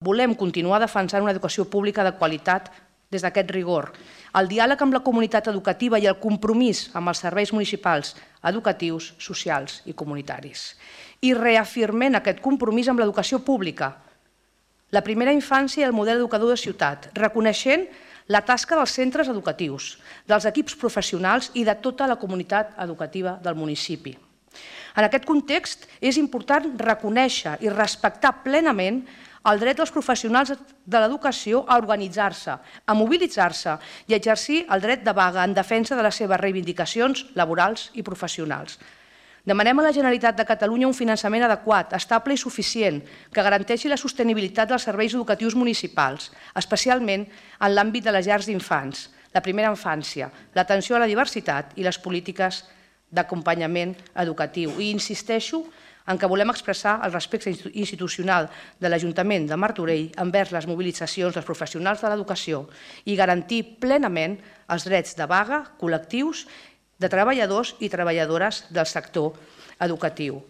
Volem continuar defensant una educació pública de qualitat des d'aquest rigor, el diàleg amb la comunitat educativa i el compromís amb els serveis municipals, educatius, socials i comunitaris. I reafirmem aquest compromís amb l'educació pública, la primera infància i el model educador de ciutat, reconeixent la tasca dels centres educatius, dels equips professionals i de tota la comunitat educativa del municipi. En aquest context, és important reconèixer i respectar plenament el dret dels professionals de l'educació a organitzar-se, a mobilitzar-se i a exercir el dret de vaga en defensa de les seves reivindicacions laborals i professionals. Demanem a la Generalitat de Catalunya un finançament adequat, estable i suficient, que garanteixi la sostenibilitat dels serveis educatius municipals, especialment en l'àmbit de les llars d'infants, la primera infància, l'atenció a la diversitat i les polítiques d'acompanyament educatiu. I insisteixo en què volem expressar el respecte institucional de l'Ajuntament de Martorell envers les mobilitzacions dels professionals de l'educació i garantir plenament els drets de vaga col·lectius de treballadors i treballadores del sector educatiu.